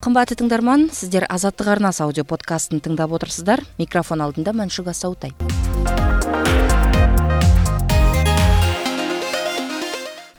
Кымбаттуу тыңдарман, сиздер Азаттык арнасы аудио подкастын тыңдап отырсыздар. Микрофон алдында Маншук Асаутай.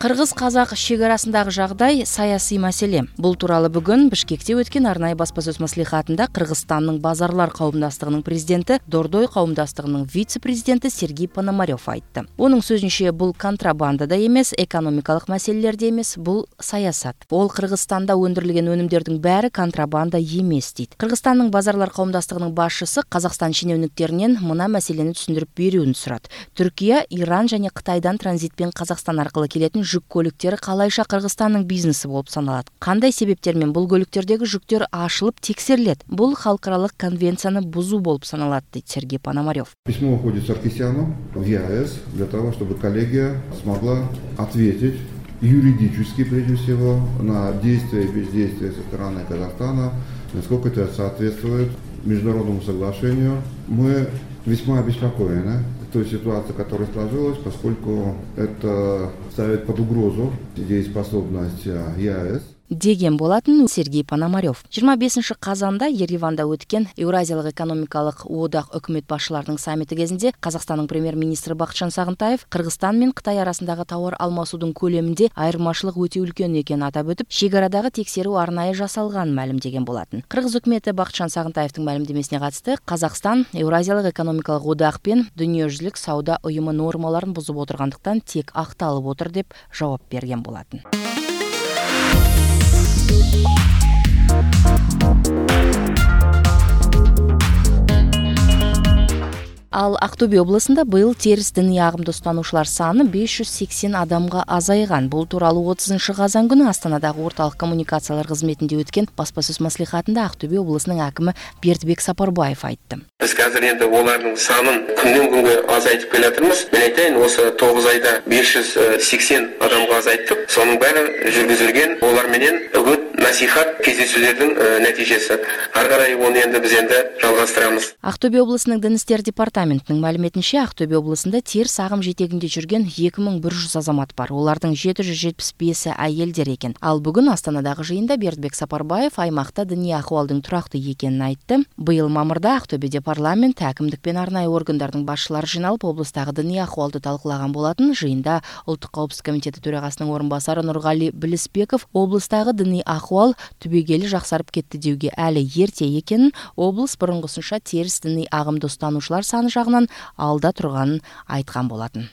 Кыргыз-казак чек арасындагы жагдай саясий маселе. Бул тууралуу бүгүн Бишкекте өткөн арнайы баспасөз маслихатында Кыргызстандын базарлар коомдастыгынын президенти, Дордой коомдастыгынын вице-президенти Сергей Пономарев айтты. Онун сөзүнчө, бул контрабанда да эмес, экономикалык маселелер да эмес, бул саясат. Ол Кыргызстанда өндүрүлгөн өнүмдөрдүн баары контрабанда эмес дейт. Кыргызстандын базарлар коомдастыгынын башчысы Казакстан шенеунүктөрүнөн мына маселени түшүндүрүп берүүнү сурат. Түркия, Иран жана Кытайдан транзитпен Казакстан аркылы келетін жүк көлүктөрү калайша Кыргызстандын бизнеси болуп саналат. Кандай себептер менен бул көлүктөрдөгү жүктөр ашылып текшерилет? Бул халыкаралык конвенцияны бузуу болуп саналат, дейт Сергей Пономарев. Письмо уходит Саркисяну в ЕАЭС для того, чтобы коллегия смогла ответить юридически, прежде всего, на действия и бездействия со стороны Казахстана, насколько это соответствует международному соглашению. Мы весьма обеспокоены той ситуацией, которая сложилась, поскольку это ставит под угрозу дееспособность ЕАЭС. Деген болатын Сергей Пономарев. 25 казанда Ереванда өткөн Евразиялык экономикалык одак өкмөт башчыларынын саммити кезинде Казакстандын премьер-министри Бакытжан Сагынтаев Кыргызстан менен Кытай арасындагы товар алмасуудун көлөмүндө айырмачылык өтө үлкөн экенин атап өтүп, чек арадагы текшерүү арнайы жасалганын маалимдеген болатын. Кыргыз өкмөтү Бакытжан Сагынтаевдин маалимдемесине катысты Казакстан Евразиялык экономикалык одак пен Дүниежүзүлүк сауда уюму нормаларын бузуп отургандыктан тек акталып отур деп жооп берген болатын. Ал Актөбе облусунда быйыл терс диний агымды устануучулар саны 580 адамга азайган. Бул тууралуу 30 казан күнү Астанадагы орталык коммуникациялар кызметинде өткөн баспасөз маслихатында Актөбе облусунун акими Бердибек Сапарбаев айтты. Биз азыр энди олардын санын күндөн күнгө азайтып келатырмыз. Мен айтайын, осы 9 айда 580 адамга азайттык. Сонун баары жүргүзүлгөн олар менен үгүт насихат кездесүүлөрдүн натыйжасы. Ар карай оны энди биз жалгастырабыз. Актөбе облусунун Дин иштери департаментинин маалиметинче, Актөбе облусунда терс агым жетегинде жүргөн 2100 азамат бар. Олардын 775 айелдер экен. Ал бүгүн Астанадагы жыйында Бердибек Сапарбаев аймакта диний акыбалдын турактуу экенин айтты. Быйыл мамырда Актөбедө парламент, әкимдик пен арнайы органдардын башчылары жыйналып, облустагы диний акыбалды талкуулаган болатын. Жыйында Улуттук коопсуздук комитети төрагасынын орун басары Нургали Билисбеков облустагы диний акыбал түбөгелүү жаксарып кетти деүүгө әлі эрте экенин, облус бурунгусунча терс диний агымды устануучулар саны жагынан алда турганын айткан болатын.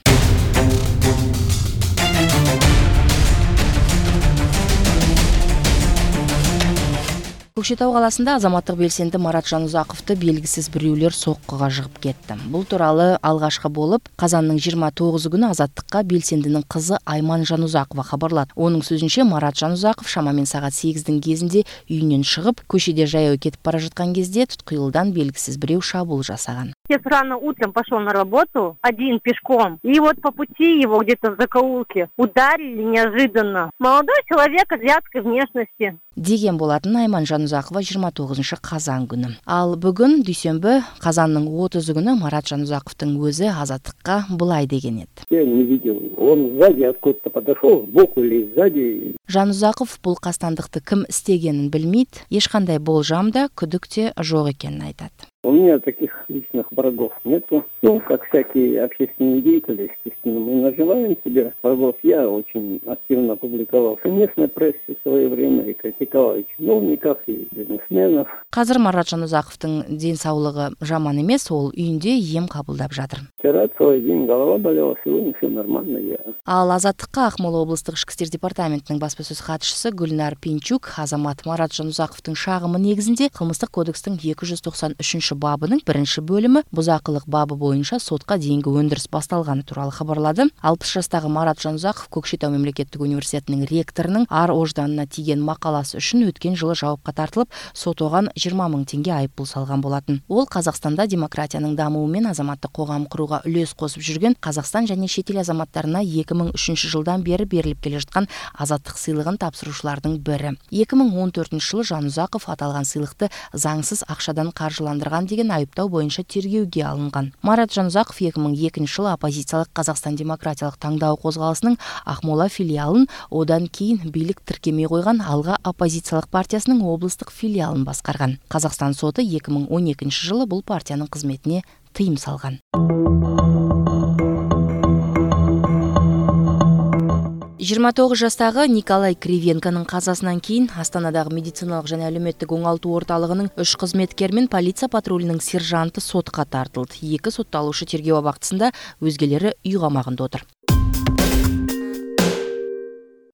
Көкшетау каласында азаматтык белсенди Марат Жанузаковду белгисиз бирөөлөр соккуга жыгып кетти. Бул тууралуу алгашкы болуп казандын 29 күнү Азаттыкка белсендинин кызы Айман Жанузакова кабарлады. Онун сөзүнчө, Марат Жанузаков шамамен саат 8-дин кезинде үйүнөн чыгып, көчөдө жаяу кетип бара жаткан кезде туткуюлдан белгисиз бирөө шабуул жасаган. Отец рано утром пошел на работу, один пешком, и вот по пути его где-то в закоулке ударили неожиданно. Молодой человек азиатской внешности. Деген болатын Айман Жанузакова 29 казан күнү. Ал бүгүн дүйсөнбү казандын 30 күнү Марат Жанузаковдун өзү Азаттыкка былай деген эди. Я не видел, он сзади откуда-то подошел, сбоку или сзади. Жанузаков бул кастандыкты ким истегенин билмейт, эч кандай болжам да, күдүк те жок экенин айтат. У меня таких личных врагов нету. Ну, как всякие общественные деятели, естественно, мы наживаем себе врагов. Я очень активно публиковался в местной прессе в свое время и критиковал и чиновников, и бизнесменов. Казыр Марат Жанузаковдун ден саулыгы жаман эмес, ол үйүндө ем кабылдап жатыр. Вчера целый день голова болела, сегодня все нормально. Ал Азаттыкка Акмола облустук ички иштер департаментинин баспасөз катчысы Гүлнар Пинчук азамат Марат Жанузаковдун шагымы негизинде кылмыштык кодекстин 293 бабынын 1-бөлүмү бузакылык бабы боюнча сотко дейинги өндүрүс башталганы тууралуу кабарлады. 60 жаштагы Марат Жанузаков Көкшетау мамлекеттик университетинин ректорунун ар ожданына тийген макаласы үчүн өткөн жылы жабапка тартылып, сот оган 20 000 теңге айыппул салган болатын. Ол Казакстанда демократиянын дамуы менен азаматтык когам курууга үлөс косуп жүргөн Казакстан жана шет эл азаматтарына 2003 жылдан бери берилип келе жаткан азаттык сыйлыгын тапшыруучулардын бири. 2014 жылы Жанузаков аталган сыйлыкты заңсыз акчадан каржыландырган деген айыптоо боюнча боюнча тергөөгө алынган. Марат Жанузаков 2002 жылы оппозициялык Казакстан демократиялык таңдоо козголосунун Акмола филиалын, одан кийин бийлик тиркемей койгон Алга оппозициялык партиясынын облустук филиалын баскарган. Казакстан соты 2012 жылы бул партиянын кызметине тыйым салган. 29 жастагы Николай Кривенконун казасынан кийин Астанадагы медициналык жана әлеуметтик оңалтуу орталыгынын 3 кызметкери менен полиция патрулунун сержанты сотко тартылды. 2 сотталуучу тергөө абактысында, өзгелери үй камагында отур.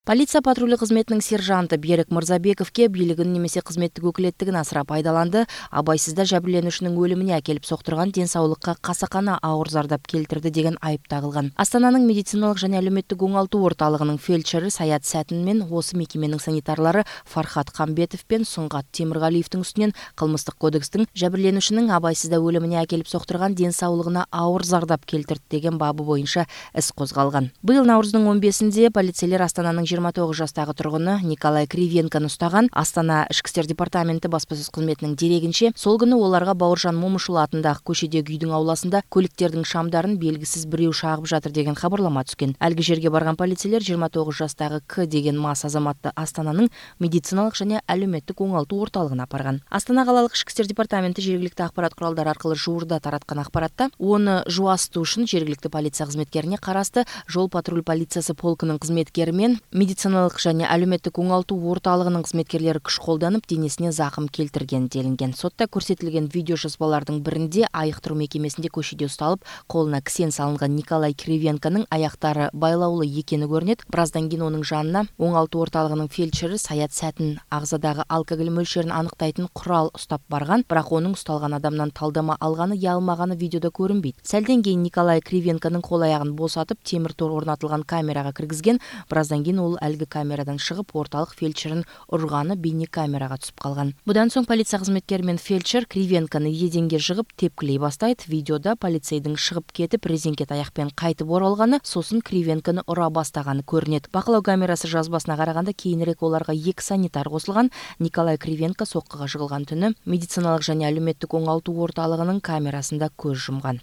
Полиция патрулю кызметинин сержанты Берик Мырзабековке бийлигин немесе кызметтик өкүлеттигин асыра пайдаланды, абайсызда жабирленүүчүнүн өлүмүнө акелип соктурган, денсаулыкка касакана ауыр зардап келтирди деген айып тагылган. Астананын медициналык жана әлеуметтик оңалтуу орталыгынын фельдшери Саят Сәтин менен осы мекеменин санитарлары Фархат Камбетов пен Сунгат Темиргалиевдин үстүнөн кылмыстык кодекстин жабирленүүчүнүн абайсызда өлүмүнө акелип соктурган, денсаулыгына ауыр зардап келтирди деген бабы боюнча іс козголган. Быйыл Наурыздун 15-синде полицейлер Астананын 29 жастагы тургуну Николай Кривенкону устаган. Астана Ички иштер департаменти баспасөз кызметинин дерегинче, сол күнү оларга Бауыржан Момушул атындагы көчөдөгү үйдүн ауласында көлүктөрдүн шамдарын белгисиз бирөө шагып жатыр деген кабарлама түшкөн. Алги жерге барган полицейлер 29 жастагы К деген мас азаматты Астананын медициналык жана әлеуметтик оңалтуу орталыгына апарган. Астана калалык Ички иштер департаменти жергиликтүү акпарат куралдары аркылуу жуурда тараткан акпаратта оны жуастуушун жергиликтүү полиция кызметкерине карасты жол патруль полициясы полкунун кызметкери мен медициналык жана әлеуметтик оңалтуу орталыгынын кызметкерлери күч колдонуп денесине закым келтирген делинген. Сотта көрсөтүлгөн видео жазбалардын биринде айыктыруу мекемесинде көчөдө ушталып, колуна кисен салынган Николай Кривенконун аяктары байлаулуу экени көрүнөт. Бираздан кийин онун жанына оңалтуу орталыгынын фельдшери Саят Сәтин агзадагы алкоголь мөлчөрүн аныктайтын курал уштап барган, бирок онун ушталган адамдан талдама алганы, ялмаганы видеодо көрүнбөйт. Сәлден кийин Николай Кривенконун кол аягын босатып, темир тор орнотулган камерага киргизген. Бираздан кийин ол алги камерадан чыгып, орталык фельдшерин урганы бейне камерага түсүп калган. Будан соң полиция кызметкери менен фельдшер Кривенкону еденге жыгып тепкилей бастайт. Видеода полицейдин чыгып кетип, резинкет аякпен кайтып оралганы, сосын Кривенкону ура бастаганы көрүнөт. Бакылоо камерасы жазбасына караганда, кийинирээк оларга 2 санитар косулган. Николай Кривенко соккуга жыгылган түнү медициналык жана әлеуметтик оңалтуу орталыгынын камерасында көз жумган.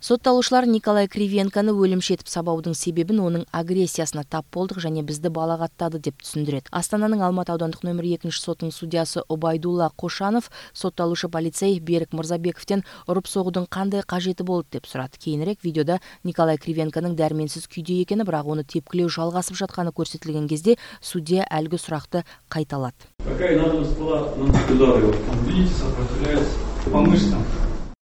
Сотталуучулар Николай Кривенкону өлүмшетип сабаудын себебин онун агрессиясына тап болдук жана бизди балагаттады деп түшүндүрөт. Астананын Алматы аудандык номер 2 сотунун судьясы Обайдулла Кошанов сотталуучу полицей Берик Мырзабековден уруп согуудун кандай кажети болду деп сурат. Кийинирээк видеодо Николай Кривенконун дарменсиз күйдө экени, бирок оны тепкилөө жалгасып жатканы көрсөтүлгөн кезде судья алгы суракты кайталат. Какая надобность была наносить удары? Видите, сопротивляется по мышцам.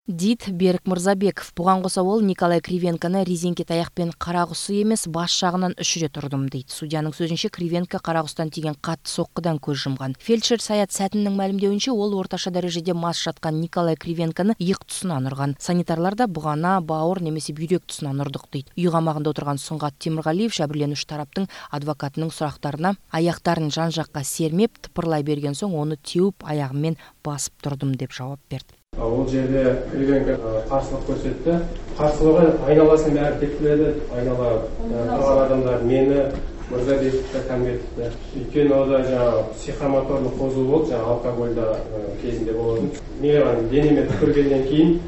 Дит Берик Мырзабеков. Буган кошо ол Николай Кривенкону резинкет аякпен карагусу эмес, баш жагынан үшүрөт урдум дейт. Судьянын сөзүнчө, Кривенко карагустан тийген катты соккудан көз жумган. Фельдшер Саят Сәтиндин маалимдеуинче, ол орташа дарежеде мас жаткан Николай Кривенкону ыйык тусунан урган. Санитарлар да бугана, бауыр немесе бүйрөк тусунан урдук дейт. Үй камагында отурган Сунгат Темиргалиев жабирленүүчү тараптын адвокатынын сурактарына аяктарын жан жакка сермеп, тыпырлай берген соң оны теуп аягы менен басып турдум деп жооп берди. Ол жерде Кривенко каршылык көрсөттү. Каршылыгы айналасын баары тепкиледи. Айнала турган адамдар мени, Мырзабековди, Камбетовди. Өйткөнү ода жаңа психомоторлук козуу болуп, жаңа алкоголда кезинде болду. Мен денеме түкүргөндөн кийин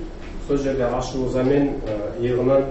сол жерде ашууза мен ыйыгынан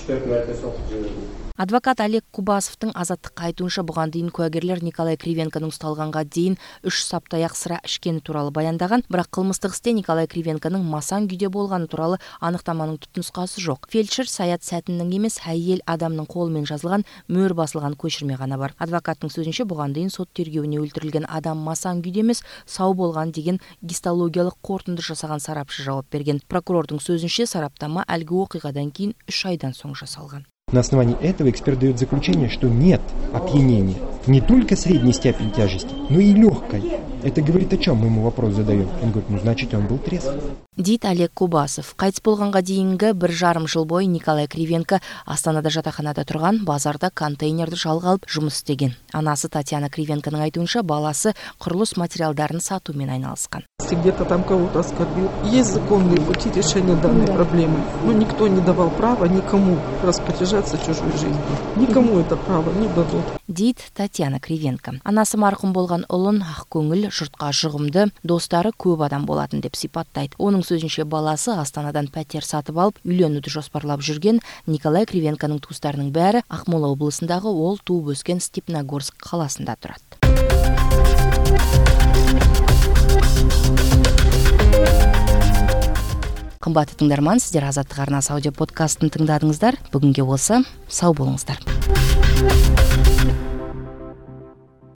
3-4 марта сокуп жибердим. Адвокат Олег Кубасовдун азаттыкка айтуунча, буган дейин куагерлер Николай Кривенконун ушталганга дейин 3 саптаяк сыра ичкени тууралуу баяндаган, бирок кылмыстык исте Николай Кривенконун масаң күйдө болгону тууралуу аныктаманын түпнускасы жок. Фельдшер Саят Сәтиндин эмес, айыл адамдын колу менен жазылган, мөр басылган көчүрмө гана бар. Адвокаттын сөзүнчө, буган дейин сот тергөөүнө өлтүрүлгөн адам масаң күйдө эмес, сау болгон деген гистологиялык кортунду жасаган сарапчы жооп берген. Прокурордун сөзүнчө, сараптама алги окуйгадан кийин 3 айдан соң жасалган. На основании этого эксперт дает заключение, что нет опьянения. Не только средней степени тяжести, но и легкой. Это говорит о чем? Мы ему вопрос задаем. Он говорит, значит, он был трезв. Дейт Олег Кубасов. Кайтыс болганга дейинги 1,5 жыл бою Николай Кривенко Астанада жатаканада турган базарда контейнерди жалга алып жумуш истеген. Анасы Татьяна Кривенконун айтуунча, баласы курулуш материалдарын сатуу менен айналышкан. Где-то там кого-то оскорбил. Есть законные пути решения данной проблемы, но никто не давал права никому распоряжаться чужой жизнью. Никому это право не дадут. Дейт Татьяна Татьяна Кривенко. Анасы маркум болгон улун ак көңүл, журтка жугумду, достору көп адам болатын деп сипаттайт. Онун сөзүнчө баласы Астанадан пәтер сатып алып, үйлөнүүдү жоспарлап жүрген Николай Кривенконун туустарынын баары Акмола облусундагы ол тууп өскөн Степногорск калаасында турат. Кымбаттуу тыңдарман, сиздер Азаттык арнасы аудио подкастын тыңдадыңыздар. Бүгүнкү болсо сау болуңуздар.